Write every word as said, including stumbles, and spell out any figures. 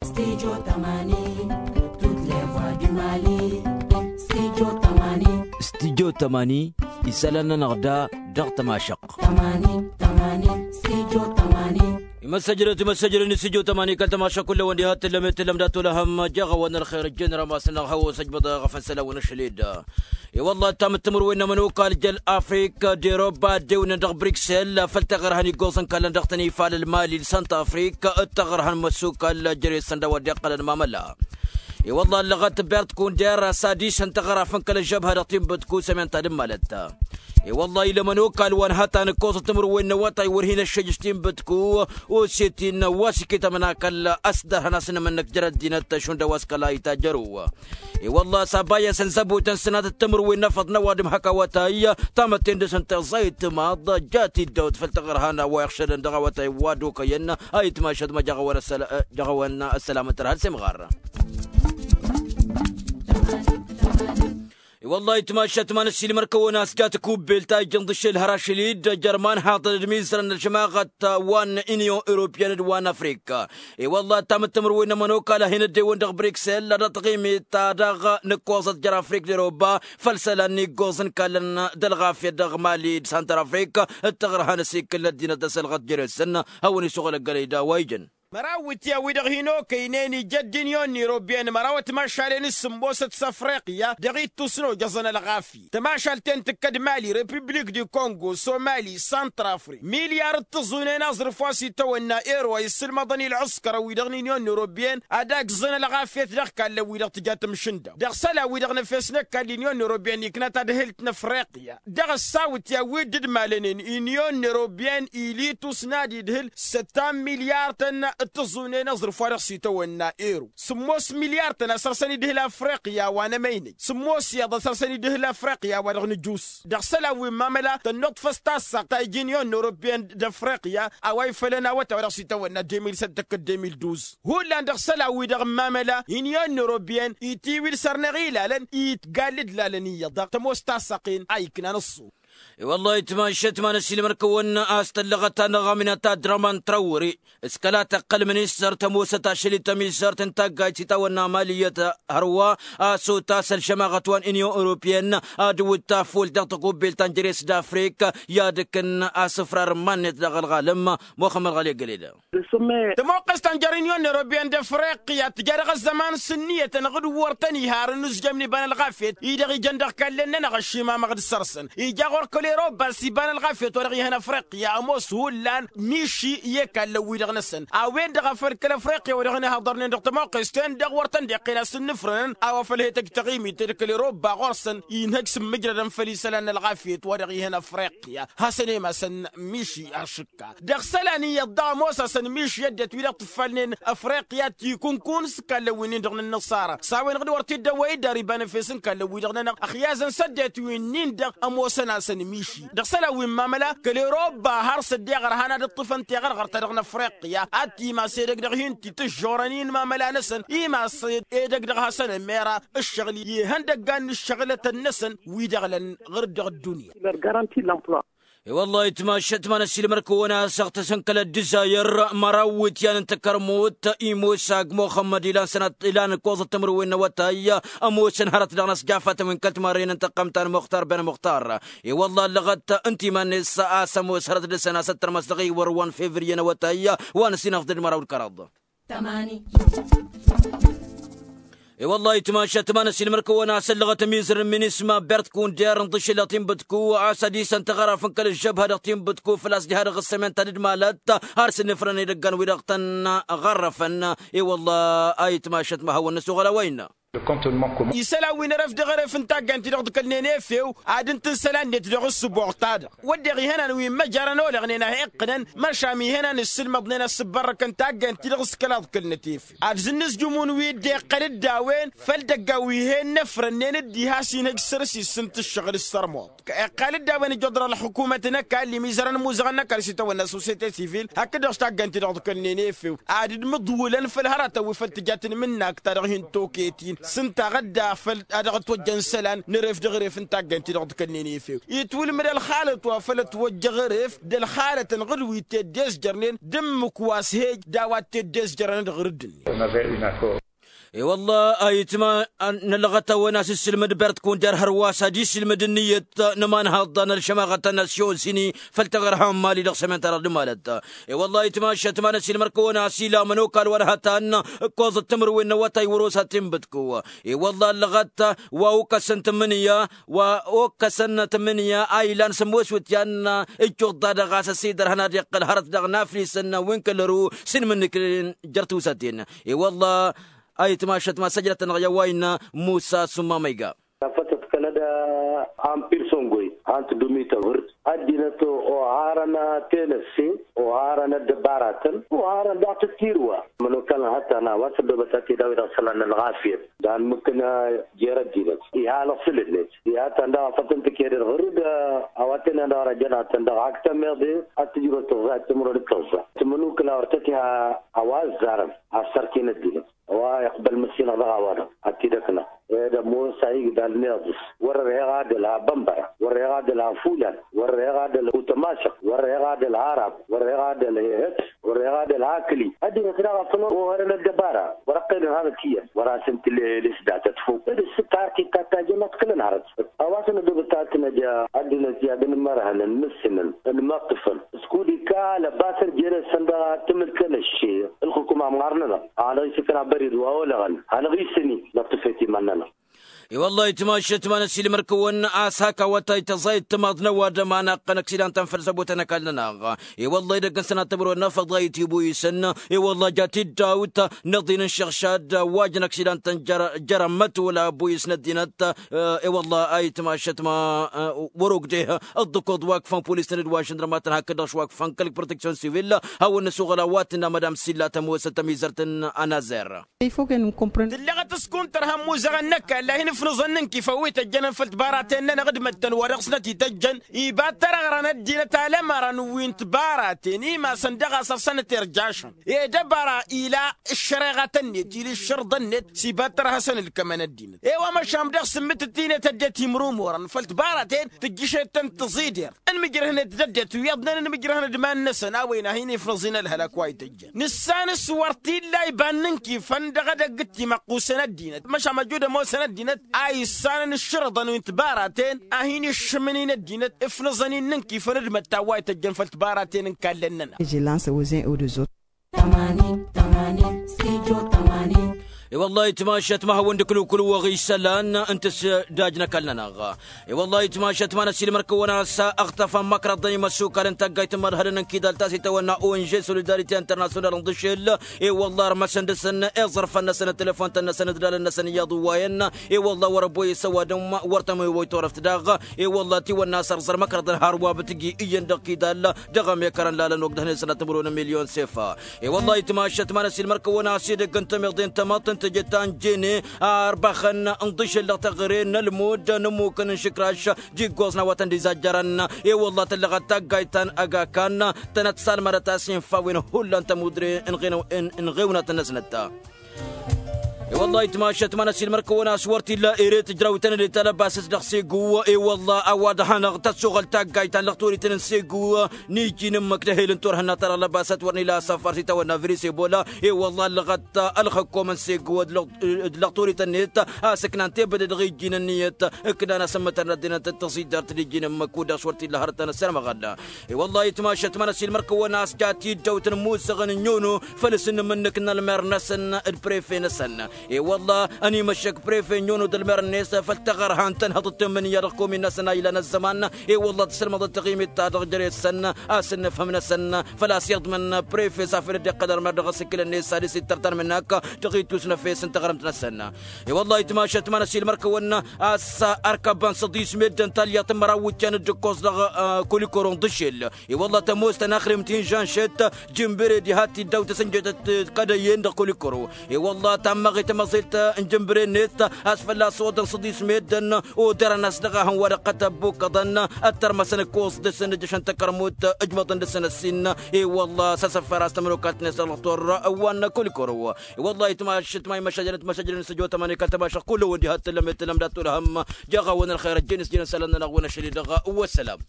Studio tămani. Tutlevoa dumali. Studio tămani. Studio tămani. Isălan-nănăɣ da dăɣ-tămašăq. Tămani tămani. Studio tămani. Imăssăjrăt imăssăjrăt n-studio tămani kăl-tămašăq kull-awăn diha t-tǝllăm i-tǝllăm dat-olăhăm. Jaɣ-awăn ălxer ǝjjǝn rămas-năɣ hawăn-săjbăḍ ɣăfăn isălan-wăn ašăl-ed. I-wălla ăttam d-timǝrwen n-ămănokal jăl afrik d-eroba ăddewnen dăɣ-briksel făll-taɣărhăn iggoẓăn kallăn dăɣ-tăn ifalăl mali d-santa afrik d-taɣărhăn măssukal jere-săn d-a-wa dd-iqqălăn mamăla. I-wălla ăllăɣăt bert kunder s-ad-isăn taɣărafăn kăl-ăžžăbha dăɣ-tinbǝtku sămen ta d-ǝmmalăt. I-wălla-i l-ămănokal wa n-hăta nǝkkoẓăt timǝrwen n-awătay wăr hin-ăššăj s-tinbǝtku. Osetin wa s-iket amănakăl ăsdărhăn a-s n-emănnăk jer-ăddinăt šund a-wa s-kăla itajjăru. I-wălla-s abayăsăn zăbotăn sănatăt timǝrwen n-efăḍ n-ăwadǝm hak awătay tamătte-n dăr-săn tiẓẓayăt timaḍ. Jat-dd ăwăt făll-taɣărhan a-wa iɣšădăn dăɣ-awătay wa d-okăyăn. A itmašăt ma jăɣ-awăn ăssălamăt ărhăl s-imɣar. I-wălla-hi itmašăt ma n-ăssiilmăr-kăwăn a-s jat kubbelt a ijăn ḍǝššel hărašăl-dd jer-iman haḍăn d-imizărăn n-ălžămaɣăt wa n-inyon europiyăn d-wa n-afrika. I-wălla-hi ăttam d-timǝrwen n-ămănokal a hin-ăddewăn dăɣ-briksel ad-ăṭṭăɣimit ta dăɣ-nǝkkoẓăt jer-afrik d-eroba făll-isălan n-iggoẓ n-kallăn d-ălɣafyăt dăɣ-mali d-santar afrika d-taɣărha n-asikǝl n-ăddinăt d-asălɣăt jere-săn. Hawăn-isuɣǝl ăggălăy d-a-wa ijăn. Măraw ityawwi-dăɣ hin-okăynen ija ăddinyon n-irobyen măraw ătmašalen s-sǝmmosăt s-afriqya dăɣ-ittus n-ojăẓăn ălɣafyăt tămašalt-en tǝkkăd mali republik di kongo somali santr-afrik milyar d-tǝẓunen aẓrǝf wa s-itawănna ero a issǝlmăḍăn i-ălɣǝskărăn-wi-dăɣ n-inyon n-irobyen ad-agẓăn ălɣafyăt dăɣ-kallăn-wi-dăɣ tǝja tǝmšǝnda dăɣ-isălan-wi-dăɣ n-efes n-ăkall inyon n-irobyen ikna tadhǝlt n-afriqya. Dăɣ-ăssawǝtya wi dd-malănen inyon n-erobyen ilitus n-ad-idhǝl săttan milyar-tăn d-tǝẓẓunen aẓrǝf wa dăɣ-s itawănna ero sǝmmos milyar-tăn a săr-săn idhǝl afriqya wa n-emăynăj sǝmmos iyyăḍ a săr-săn idhǝl afriqya wa dăɣ-nǝjus. Dăɣ-isălan wi n-mamăla tănnuḍfăs tassăɣt ta ija inyon n-erobyen d-afriqya a-wa ifălăn awătay wa dăɣ-s itawănna deux mille sept tăkk-dd deux mille douze. Hullan dăɣ-isălan-wi-dăɣ n-mamăla inyon n-erobyen itiwǝl săr-năɣ ilalăn itgall d-lalăn iyyăḍ dăɣ-tămoos tassăɣt-en a iknan ăṣṣu. I-wăllah itmašăt ma n-ăssiilmăr-kăwăn a-s tăllăɣăt-anăɣ aminăt adraman trawre s-kăla tăqqăl ministăr tămoosăt ašăl-i tămizărt n-taggayt s-itawănna amaliyyăt hărwa a-s otas ălžămaɣăt wa n-inyon europyen ad-wǝt tafult dăɣ-tăkubbelt ta n-jere-s d-afrik i-ad-ǝkkǝn asǝfrar n-iman-net dăɣ-ălɣalăm. Muxămmăd ɣali ăggăled. Tămoqqes ta n-jer-inyon n-erobyen d-afriqya tǝja dăɣ-ăzzăman s-ǝnniyăt-anăɣ d-wăr tăn-iha ar ănuzjămni iba n-ălɣafyăt-i-dăɣ ijăn dăɣ-ikallăn-nănăɣ ăššimamăɣ d-săr-săn ija ɣur-kăl-eroba s-iba n-ălɣafyăt wa dăɣ-ihăn afriqya ămoos hullan miši i-ikallăn-wi-dăɣ-năsăn a-wen-dăɣ a făl kăl-afriqya wa dăɣ-inhăḍărnen dăɣ-tămoqqes-ten-dăɣ wăr tăn-dd-iqqen a-s ǝnnǝfrănăn a-wa făl he-tăjj taɣimit d-kăl-eroba ɣur-săn inhăj s-ǝmmǝjrădăn făll-isălan n-ălɣafyăt wa dăɣ-ihăn afriqya. Hasăn-emasăn miši ašǝkka dăɣ-isălan iyyăḍ daɣ ămoos-asăn miši ăddinăt-wi-dăɣ tǝffalnen afriqya tikǝnkun s-ikallăn-win-dăɣ n-ănnăṣara s-a-wen-dăɣ d-wăr t-dd-ăwwăy dd-ar iba n-efes n-ikallăn-wi-dăɣ nănăɣ ăxyazăn s-ăddinăt-win-dăɣ ămoosăn-asăn miši. Dăɣ-isălan wi n-mamăla kăl-eroba har s-ăddiɣăr han ad-ǝṭṭǝfăn tiɣărɣărt-ta-dăɣ n-afriqya ad-timas edăgg dăɣ-hin-t-itǝžžorăn i-inmamăla-năsăn imas edăgg dăɣ-hasăn-ămmera ǝššăɣǝl ihăndăggan n-ǝššăɣǝlătăn-năsăn wi-dăɣ lăn ɣur-dd dăɣ-ăddunya. I-wăllah itmašăt ma n-ăssiilmăr-kăwăn a-s ăɣtăsăn kăl-ăddǝzayăr măraw iwǝtyan n-takărmut imosag muxămmăd ilan sănăt ilan ǝkkoẓăt timǝrwen n-awătay ămoosăn hărăt dăɣ-inăsjafatăn wi n-kăl-timarren n-tăqqăm ta n-muxtar ben muxtar. I-wăllah ăllăɣăt ǝnta iman-net a-s ămoos hărăt dăɣ-săn a-s ăttărmăs dăɣ-iwăr wa n-fevriye n-awătay wa n-ăsinăɣ d-măraw d-kăraḍ. I-wăllah itmašăt ma n-ăssiilmăr-kăwăn a-s ăllăɣăt ămizăr n-minisma bert kunder n-iḍǝššǝlăɣ tinbǝtku a-s ad-isăn taɣăraf n-kăl-ăžžăbha dăɣ-tinbǝtku făl-a-s diha dăɣ-ăssămen ta dd-malăt har s-ǝnnǝfrăn edăggan wi-dăɣ tăn-ɣărrăfăn. I-wăllah a itmašăt ma hawăn-năsoɣăl a-wa innă. Isălan wi n-eref dăɣ-eref n-taggant-i-dăɣ dd-kălnen efew ad-ǝntǝn isălan-net dăɣ-ǝssǝboɣ-ta-dăɣ wădden ihănan wi n-măjăra n-oleɣnen a he-iqqǝnăn măršam ihănan ǝssǝlmăḍnen a ǝssǝbbărrăkăn taggant-i-dăɣ s-kălaḍ kălnăt efew ad-zǝnnǝzjǝmun wi dd-iqqăl-dd a-wen făll-idăggan wi he-innăfrănnen dd-iha s-inhăj săr-s issǝnt ǝššăɣǝl s-sărmuḍ. Iqqal-dd a-wen ǝjjuḍ dăɣ-ălxukumăt n-ăkall imizărăn imuzăɣăn n-ăkall s-itawănna societe sivil hakd-dăɣ s-taggant-i-dăɣ dd-kălnen efew ad-dd-mǝḍwǝlăn făll-hărătăn wi făll-tǝjat n-imǝnnak ta dăɣ-hin-toket-in. S-ǝnta a ɣădda făl ad-dăɣ-ătwăjjăn isălan n-eref dăɣ-eref n-taggaynt-ti-dăɣ d-kănnen efew itwǝlmǝd ălxalăt wa făl ătwăjjăɣ eref d-ălxalătăn ɣǝd wi teddesjărnen d-ǝmmǝk wa s-hej d-a-wa teddesjărăn dăɣ-rǝdd-net. E-wălla a itma n-ălɣăt-awăn a-s issǝlmǝd bert kunder hărwa s-ad-isǝlmǝd ǝnniyăt n-ămanhăḍ ta n-ălšămaɣăt ta n-asyon s-ini făll-taɣărha n-mali dăɣ-sămen-ta-dăɣ d-malăt. E-wălla a itma šăt ma n-ăsilmăr-kăwăn a-s ila ămănokal wa n-hătan ǝkkoẓăt timǝrwen n-awătay wăr-osa tinbǝtku. E-wălla ăllăɣăt wa okăsăn tǝmmǝnǝya wa okăsăn tǝmmǝnǝya a ilan sămoos wǝtyan. Ǝjjuḍ-da-dăɣ a-s ăsidărhăn ad-iqqǝl hărăt dăɣ-naflisăn wi n-kăl-ăru s-inmǝnnǝknen jer-tiwsaten. E-wălla a itma šăt ma săjdăt-anăɣ i-a-wa innă musa summa ma iga. Tafătăt kăl-ădd a n-pirsongoy han tǝddumit ăbhǝrd ăddinăt oharăn tenăsse oharăn ăddăbaratăn oharăn daɣ tǝttirǝwa. Mănokal n-hăttan a-wa s-ăddoobăt ad-t-dd-awǝy dăɣ-isălan n-ălɣafyăt d-anmǝkna jer-ăddinăt iha lăṣǝl-net iha tăn-dăɣ a făl tăn-tǝked ălɣǝrǝd. A-wa tăn-dăɣ răjăn ad-tăn-dăɣ hak tămeḍe ad-tǝjrăw tǝẓẓa d-timǝrwen d-tǝẓẓa timǝnukǝla wăr tăt-iha a-wa ăzzarăn assărtin ăddinăt. A-wa iqbăl măssinăɣ dăɣ-a-wa-dăɣ ad-t-dd-ăknăɣ ed ămoos a igdal meḍǝs wăr-ărheɣ ad-ălha bănbăra wăr-ărheɣ ad-ălha fulan wăr-ărheɣ ad-ălha utămašăɣ wăr-ărheɣ ad-ălha arab wăr-ărheɣ ad-ălha ehăt wăr-ărheɣ ad-ălha akǝli. Ăddinăt daɣ a făl ohărăn ăddăbara wăr-ăqqelăn hanăt iyyăn wăr-asǝn tǝlleles datăt fok ed ǝssǝt ta har t-itatajăn ad-t-kălăn hărăt. A-wa s-nădobăt ad-t-năj ăddinăt i-ad-ănmărhănăn n-ǝssǝnăn ănmăṭṭǝfăn s-kud-ikal ăbasăn jere-săn dăɣ-ad-tǝmǝlkăn ăššeer ǝlxǝkum amɣar-nănăɣ. Hanăɣ-isǝkna bări d-wa olăɣăn hanăɣ-isǝni năṭṭǝfet iman-nănăɣ. I-wăllah itmašăt ma n-ăsilmăr-kăwăn a-s hak awătay tăẓayăt timaḍ n-ăwadǝm a naqqăn ăksidantăn făll-săbotăn ăkall-nănăɣ. I-wăllah idăgg n-sănat timǝrwen n-afăḍayăt ibuyǝsăn i-wăllah jat-dd dawt n-iḍin n-iššăɣšad wajăn ăksidantăn jăr-jărăn mătwăla buyǝs n-ăddinăt. I-wăllah a itmašăt ma wăr-ogdeh ǝḍḍǝkoḍ wa ǝkfăn polis-tăn d-wa šǝndrămatăn hakd-dăɣ šwa ǝkfăn kăl-proteksyon sivil. Hawăn-nǝsuɣǝl a-wa tǝnna madam silla tămoosăt tămizărt n-anazer. Tǝlleɣăt s-kuntărha ămmuzăɣăn n-ăkall a hin-ǝfnǝẓăn n-inkifăn wi tăjjănăn făll-tibaraten-nănăɣ d-măttăn wa dăɣ-snăt-ităjjăn iba t-ărăɣrăn ăddinăt alămărăn wi n-tibaraten imasăn dăɣ-a-s ărsănăt irjašăn. Ed ăbara ila ǝššăreɣatăn-net ila ǝššărḍăn-net s-iba t-ărhăsăn ǝlkămăn ăddinăt i-wa măšan dăɣ-sǝmmǝtǝt-i-net ăddinăt imrumurăn făll-tibaraten tǝjjǝšet-tăn tǝẓider. Ǝnmǝjrăhnet d-ăddinăt wi iḍnăn ǝnmǝjrăhnet d-iman-năsăn a-wen a hin-ifnăẓ-in ălhălăk wa ităjjăn nǝssan s-wăr t-illa iba n-inkifăn dăɣ-edăgg d-timăqqusăn ăddinăt măšan măjud ămoosăn ăddinăt a issanăn ǝššărḍăn wi n-tibaraten a hin-iššǝmǝn-in ăddinăt ǝfnăẓăn-in n-inkifăn d-imăttan wa ităjjăn făll-tibaraten n-kallăn-nănăɣ. Iji lansă wăzen odozot. Tămanin tămanin stijo tămanin. I-wăllah itmašăt ma hawăn-dd-ǝklǝwkǝlwăɣ isălan n-tǝsdaj n-ăkall-nănăɣ. I-wăllah itmašăt ma n-ăsilmăr-kăwăn a-s ăɣtăfăn măkrăḍăn imăssukal n-taggayt n-imărhădăn n-kidal ta s-itawănna ong solidaritet internasyonal n-dăšel. I-wăllah ărmăsăn dăɣ-săn iẓărfăn-năsăn d-telefon-tăn-năsăn d-lalăn-năsăn iyyăḍ ǝwwayăn. I-wăllah wăr-ăbboyăs ăwadǝm wăr tămăwăy turăft daɣ. I-wăllah tiwănna a-s ărẓăr măkrăḍăn har wa bǝtǝji iyyăn dăɣ-kidal dăɣ-emekărăn lalăn ogdăhnen sănăt timǝrwen n-milyon sefa. I-wăllah itmašăt ma n-ăsilmăr-kăwăn a-s edăgg n-temeḍe n-tamăḍt n-teje ta n-jene a ărbăxăn n-dăšel dăɣ-teɣăre n-ălmud n-ămmukăn n-išǝkraš. Jiggoẓ n-a-wa tăn-dd-izajjărăn i-wăllah tǝllăɣăt taggayt ta n-agakan tănăt-salmădăt a-s infa a-wen hullan tămudre n-ɣewnatăn-năsnăt. I-wăllah itmašăt ma n-ăsilmăr-kăwăn a-s wăr t-illa ere tǝjraw-tăn-dd i-talăbasăt dăɣ-segu. I-wăllah a-wa dăɣ-hanăɣ tăssoɣăl taggayt ta n-lăɣtorităn n-segu. N-iji n-ǝmmǝk d-ehel n-turhǝnna ta dăɣ-lăbasăt wăr n-ila asăfar s-itawănna virus ebola. I-wăllah ăllăɣăt ălxǝkkom n-segu d-lăɣtorităn-net a-s ǝknan tebăde dăɣ-iji n-ǝnniyăt. Ǝknan asǝmmǝtăn d-ăddinăt d-tăẓidart d-iji n-ǝmmǝk kud-dăɣ s-wăr t-illa hărăt ta n-ăssărmăɣăl. I-wăllah itmašăt ma n-ăsilmăr-kăwăn a-s jat-dd dăw-tăn ămmussăɣăn n-nyono făll-s n-imǝnnǝk n-ălmer-năsăn d-prefe-năsăn. I-wăllah ănimăššăk prefe n-nyono d-ălmer-net făll-taɣărha n-tănhăḍt d-temmǝnǝya dăɣ-komin-năsăn a ilan ăzzăman. I-wăllah tǝssǝlmăḍăt taɣimit-ta-dăɣ jere-săn a-s ǝnnǝfhǝm-năsăn făl-a-s iḍmǝn prefe s-afăl dd-iqqăl ălmer dăɣ-asǝkkǝl-net s-ad-dăɣ-s ittăr tanmǝnnak dăɣ-ittus n-efes n-taɣrǝmt-năsăn. I-wăllah itmašăt ma n-ăsilmăr-kăwăn a-s ărkăbăn săḍis meddǝn talyaḍt n-măraw iwǝjjan d-ǝkkoẓ dăɣ-kulikoro n-dăšel. I-wăllah tămoos tănaxrimt inžanšet jǝmbere diha t-dd-awt asǝnjet d-kădăyyen dăɣ-kulikoro. I-wăllah tammăɣ tamăẓilt n-jǝnbǝre-net a-s fălla-s oḍăn săḍis meddǝn. Odărăn-as dăɣ-ahăn wa dăɣ-tăbbukăḍăn ăttărmăsăn ǝkkoẓ dăr-săn ǝjjăšăn takărmut ǝjmăḍăn dăr-săn ăssin. I-wălla s-asăffăr a-s tămănokalt-net ălɣător wa n-kulikoro. I-wălla itmaš itmay măšajănăt măšajănăt s-ăjotămăn ikaltămašăɣ kull-wăn diha t-tǝllăm i-t-tǝllăm dat-tulhăm. Jaɣ-awăn ălxer ăjjeen s-jin ăsălan-nănăɣ wi n-ašăl-i-dăɣ. Wăssălam.